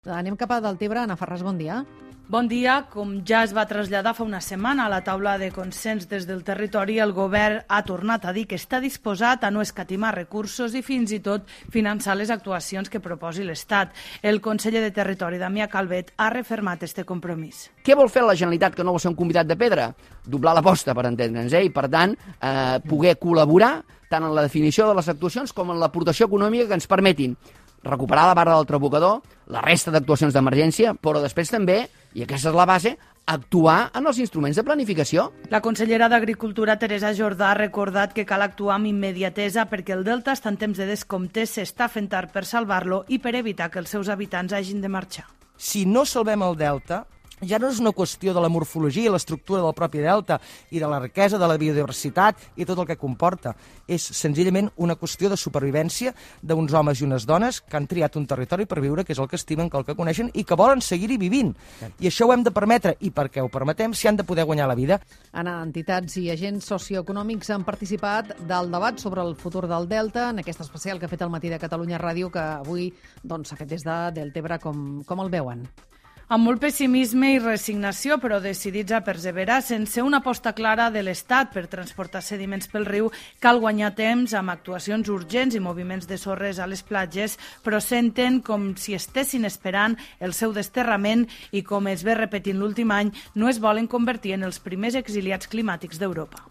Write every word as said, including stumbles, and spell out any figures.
Anem cap a Deltebre. Ana Ferràs, bon dia. Bon dia. Com ja es va traslladar fa una setmana a la taula de consens des del territori, el govern ha tornat a dir que està disposat a no escatimar recursos i fins i tot finançar les actuacions que proposi l'Estat. El conseller de Territori, Damià Calvet, ha refermat este compromís. Què vol fer la Generalitat, que no vol ser un convidat de pedra? Doblar l'aposta, per entendre'ns, eh? I per tant, eh, poder col·laborar tant en la definició de les actuacions com en l'aportació econòmica que ens permetin recuperar la barra del trabocador, la resta d'actuacions d'emergència, però després també, i aquesta és la base, actuar en els instruments de planificació. La consellera d'Agricultura, Teresa Jordà, ha recordat que cal actuar amb immediatesa perquè el Delta està en temps de descompte, s'està fent tard per salvar-lo i per evitar que els seus habitants hagin de marxar. Si no salvem el Delta, ja no és una qüestió de la morfologia i l'estructura del propi delta i de la riquesa de la biodiversitat i tot el que comporta. És senzillament una qüestió de supervivència d'uns homes i unes dones que han triat un territori per viure, que és el que estimen, que el que coneixen i que volen seguir-hi vivint. I això ho hem de permetre, i perquè ho permetem s'hi han de poder guanyar la vida. Anna, entitats i agents socioeconòmics han participat del debat sobre el futur del Delta en aquest especial que ha fet el Matí de Catalunya Ràdio, que avui doncs, s'ha fet des de Deltebre. Com, com el veuen? Amb molt pessimisme i resignació, però decidits a perseverar. Sense una aposta clara de l'Estat per transportar sediments pel riu, cal guanyar temps amb actuacions urgents i moviments de sorres a les platges, però senten com si estessin esperant el seu desterrament i, com es ve repetint l'últim any, no es volen convertir en els primers exiliats climàtics d'Europa.